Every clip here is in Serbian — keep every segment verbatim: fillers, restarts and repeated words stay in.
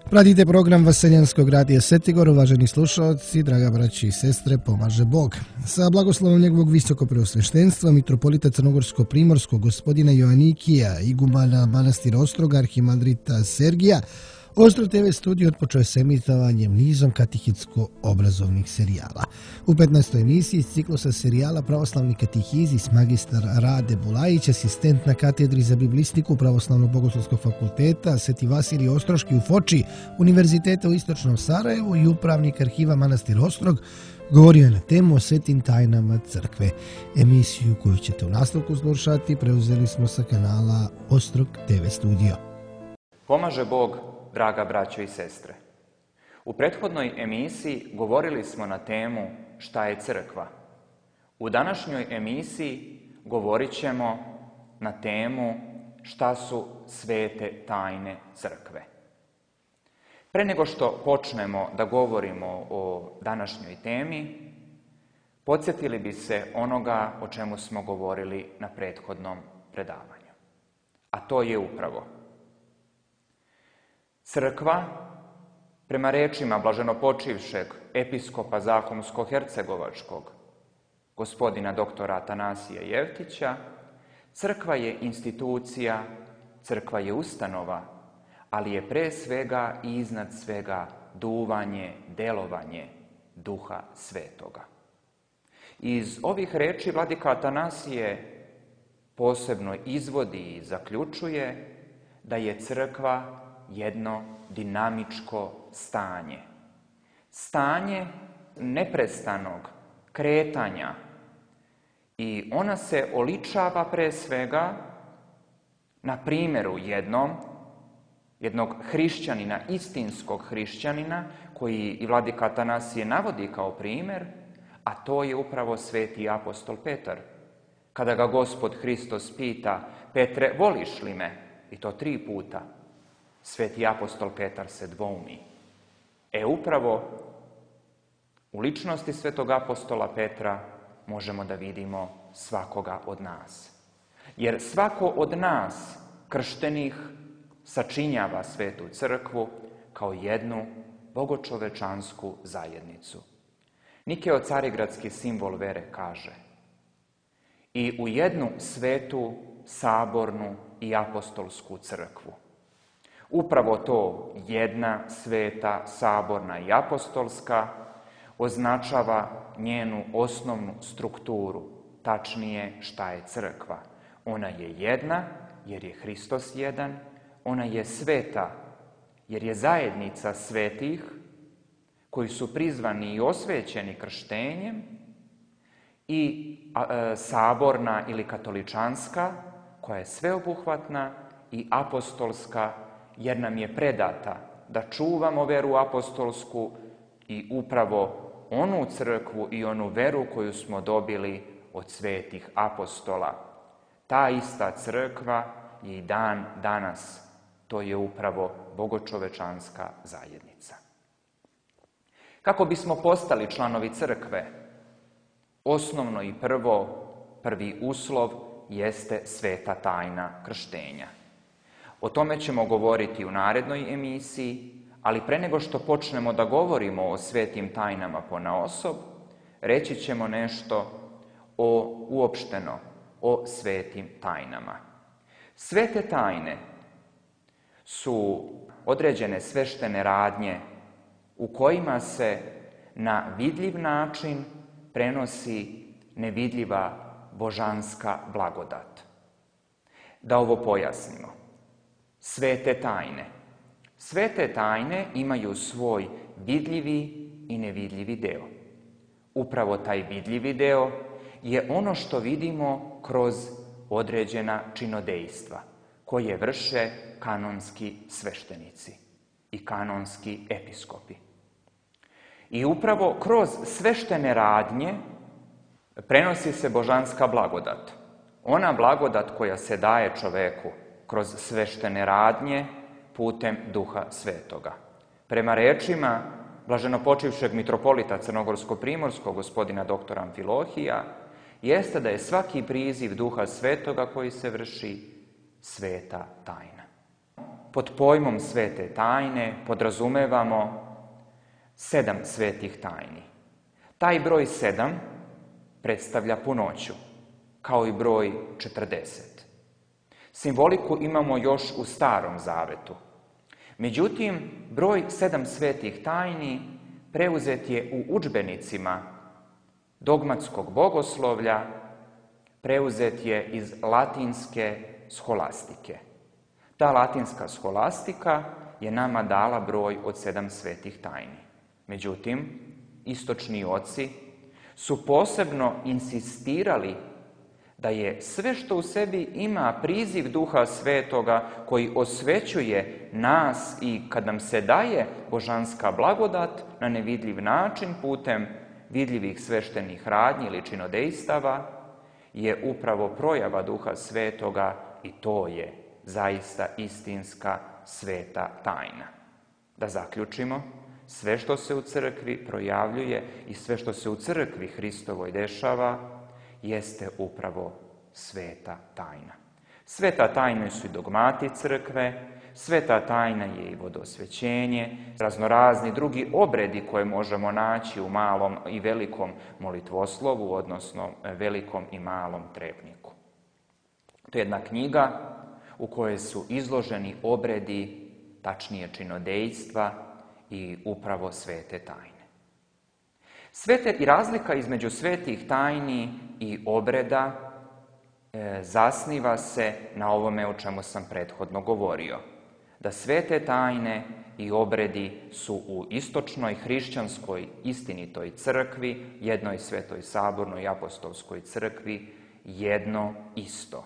Pratite program Vaseljanskog radija Setigor, uvaženi slušalci, draga braći i sestre, pomaže Bog. Sa blagoslovom njegovog visokopreosveštenstva, mitropolita Crnogorsko-primorskog gospodina Joanikija, igumana manastira Ostroga, arhimandrita Sergija, Ostro te ve studio otpočeo je s emitovanjem nizom katehitsko-obrazovnih serijala. U petnaestoj emisiji iz ciklusa serijala Pravoslavni katehizis magistar Rade Bulajić, asistent na katedri za biblistiku Pravoslavnog bogoslovskog fakulteta Sveti Vasilij Ostroški u Foči, Univerziteta u Istočnom Sarajevu i upravnik arhiva manastir Ostrog, govorio je na temu o svetim tajnama crkve. Emisiju koju ćete u nastavku slušati preuzeli smo sa kanala Ostrog te ve studio. Pomaže Bog, draga braćo i sestre. U prethodnoj emisiji govorili smo na temu šta je crkva. U današnjoj emisiji govorit ćemo na temu šta su svete tajne crkve. Pre nego što počnemo da govorimo o današnjoj temi, podsjetili bi se onoga o čemu smo govorili na prethodnom predavanju. A to je upravo crkva, prema rečima blaženopočivšeg episkopa Zahumsko-hercegovačkog, gospodina doktora Atanasija Jevtića, crkva je institucija, crkva je ustanova, ali je pre svega i iznad svega duvanje, delovanje Duha Svetoga. Iz ovih reči vladika Atanasije posebno izvodi i zaključuje da je crkva jedno dinamičko stanje. Stanje neprestanog kretanja i ona se oličava pre svega na primjeru jednom, jednog hrišćanina, istinskog hrišćanina, koji i vladika Atanasije navodi kao primjer, a to je upravo sveti apostol Petar. Kada ga Gospod Hristos pita: Petre, voliš li me? I to tri puta. Sveti apostol Petar se dvoumi. E upravo u ličnosti svetog apostola Petra možemo da vidimo svakoga od nas. Jer svako od nas, krštenih, sačinjava svetu crkvu kao jednu bogočovečansku zajednicu. Nikeo Carigradski simbol vere kaže: i u jednu svetu, sabornu i apostolsku crkvu. Upravo to jedna, sveta, saborna i apostolska označava njenu osnovnu strukturu, tačnije šta je crkva. Ona je jedna jer je Hristos jedan, ona je sveta jer je zajednica svetih koji su prizvani i osvećeni krštenjem, i a, saborna ili katoličanska koja je sveobuhvatna, i apostolska jer nam je predata da čuvamo veru apostolsku i upravo onu crkvu i onu veru koju smo dobili od svetih apostola. Ta ista crkva je i dan danas. To je upravo bogočovečanska zajednica. Kako bismo postali članovi crkve? Osnovno i prvo, prvi uslov jeste sveta tajna krštenja. O tome ćemo govoriti u narednoj emisiji, ali pre nego što počnemo da govorimo o svetim tajnama ponaosob, reći ćemo nešto o, uopšteno o svetim tajnama. Svete tajne su određene sveštene radnje u kojima se na vidljiv način prenosi nevidljiva božanska blagodat. Da ovo pojasnimo. Svete tajne. Svete tajne imaju svoj vidljivi i nevidljivi deo. Upravo taj vidljivi deo je ono što vidimo kroz određena činodejstva koje vrše kanonski sveštenici i kanonski episkopi. I upravo kroz sveštene radnje prenosi se božanska blagodat. Ona blagodat koja se daje čoveku kroz sveštene radnje putem Duha Svetoga. Prema rečima blaženopočivšeg mitropolita Crnogorsko-primorskog gospodina doktora Amfilohija, jeste da je svaki priziv Duha Svetoga koji se vrši sveta tajna. pod pojmom svete tajne podrazumevamo sedam svetih tajni. Taj broj sedam predstavlja punoću, kao i broj četrdeset. Simboliku imamo još u Starom Zavetu. Međutim, broj sedam svetih tajni preuzet je u udžbenicima dogmatskog bogoslovlja, preuzet je iz latinske sholastike. Ta latinska scholastika je nama dala broj od sedam svetih tajni. Međutim, istočni oci su posebno insistirali da je sve što u sebi ima priziv Duha Svetoga koji osvećuje nas i kad nam se daje božanska blagodat na nevidljiv način putem vidljivih sveštenih radnji ili činodejstava, je upravo projava Duha Svetoga i to je zaista istinska sveta tajna. Da zaključimo, sve što se u crkvi projavljuje i sve što se u crkvi Hristovoj dešava jeste upravo sveta tajna. Sveta tajna su i dogmati crkve, sveta tajna je i vodosvećenje, raznorazni drugi obredi koje možemo naći u malom i velikom molitvoslovu, odnosno velikom i malom trepniku. To je jedna knjiga u kojoj su izloženi obredi, tačnije činodejstva i upravo svete tajne. Svete i razlika između svetih tajni i obreda e, zasniva se na ovome o čemu sam prethodno govorio. Da svete tajne i obredi su u istočnoj hrišćanskoj istinitoj crkvi, jednoj svetoj sabornoj i apostolskoj crkvi, jedno isto.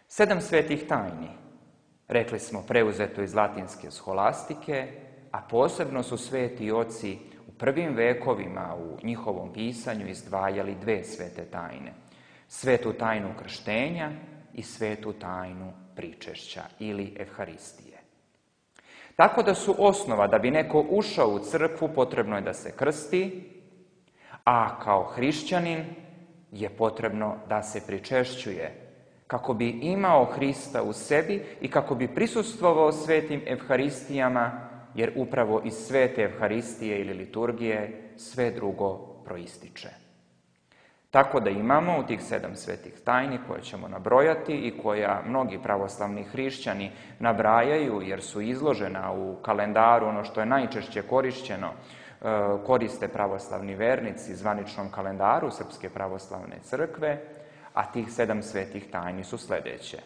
Sedam svetih tajni, rekli smo, preuzeto iz latinske sholastike, a posebno su sveti oci u prvim vekovima u njihovom pisanju izdvajali dve svete tajne. Svetu tajnu krštenja i svetu tajnu pričešća ili evharistije. Tako da su osnova da bi neko ušao u crkvu potrebno je da se krsti, a kao hrišćanin je potrebno da se pričešćuje kako bi imao Hrista u sebi i kako bi prisustvovao svetim evharistijama, jer upravo iz svete evharistije ili liturgije sve drugo proističe. Tako da imamo u tih sedam svetih tajni koje ćemo nabrojati i koja mnogi pravoslavni hrišćani nabrajaju jer su izložena u kalendaru, ono što je najčešće korišćeno, koriste pravoslavni vernici zvaničnom kalendaru Srpske pravoslavne crkve, a tih sedam svetih tajni su sljedeće.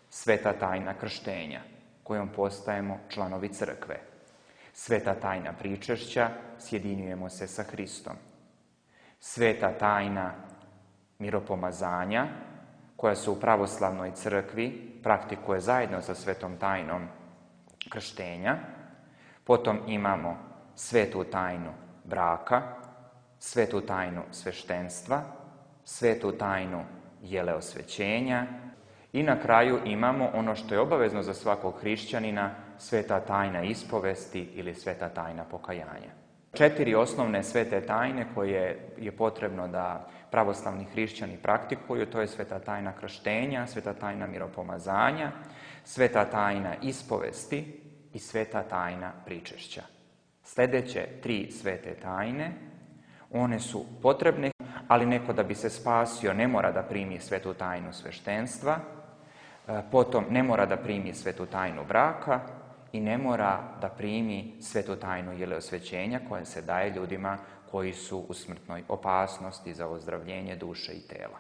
Sveta tajna krštenja, kojom postajemo članovi crkve. Sveta tajna pričešća, sjedinjujemo se sa Hristom. Sveta tajna miropomazanja, koja se u pravoslavnoj crkvi praktikuje zajedno sa svetom tajnom krštenja. Potom imamo svetu tajnu braka, svetu tajnu sveštenstva, svetu tajnu jeleosvećenja i na kraju imamo ono što je obavezno za svakog hrišćanina, sveta tajna ispovesti ili sveta tajna pokajanja. Četiri osnovne svete tajne koje je potrebno da pravoslavni hrišćani praktikuju, to je sveta tajna krštenja, sveta tajna miropomazanja, sveta tajna ispovesti i sveta tajna pričešća. Sljedeće tri svete tajne, one su potrebne, ali neko da bi se spasio ne mora da primi svetu tajnu sveštenstva, potom ne mora da primi svetu tajnu braka i ne mora da primi svetu tajnu jeleosvećenja koja se daje ljudima koji su u smrtnoj opasnosti za ozdravljenje duše i tela.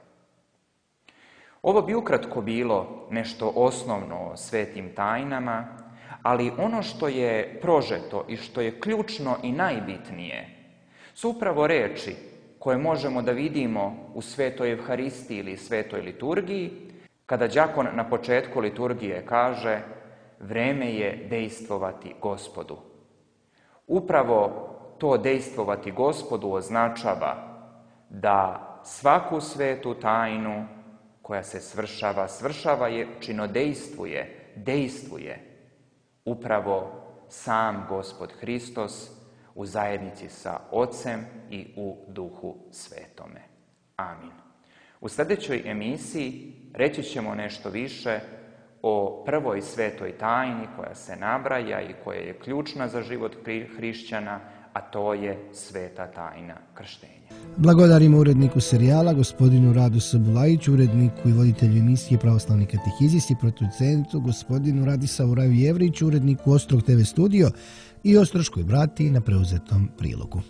Ovo bi ukratko bilo nešto osnovno o svetim tajnama, ali ono što je prožeto i što je ključno i najbitnije su upravo reči koje možemo da vidimo u svetoj evharistiji ili svetoj liturgiji, kada đakon na početku liturgije kaže vreme je dejstvovati Gospodu. Upravo to dejstvovati Gospodu označava da svaku svetu tajnu koja se svršava, svršava je, činodejstvuje, dejstvuje upravo sam Gospod Hristos u zajednici sa Ocem i u Duhu Svetome. Amin. U sljedećoj emisiji reći ćemo nešto više o prvoj svetoj tajni koja se nabraja i koja je ključna za život hrišćana, a to je sveta tajna krštenja. Blagodarimo uredniku serijala, gospodinu Radu Sabulajiću, uredniku i voditelju emisije Pravoslavni katehizist i producentu, gospodinu Radisavu Raju Jevriću, uredniku Ostrog te ve studio i Ostroškoj bratiji na preuzetom prilogu.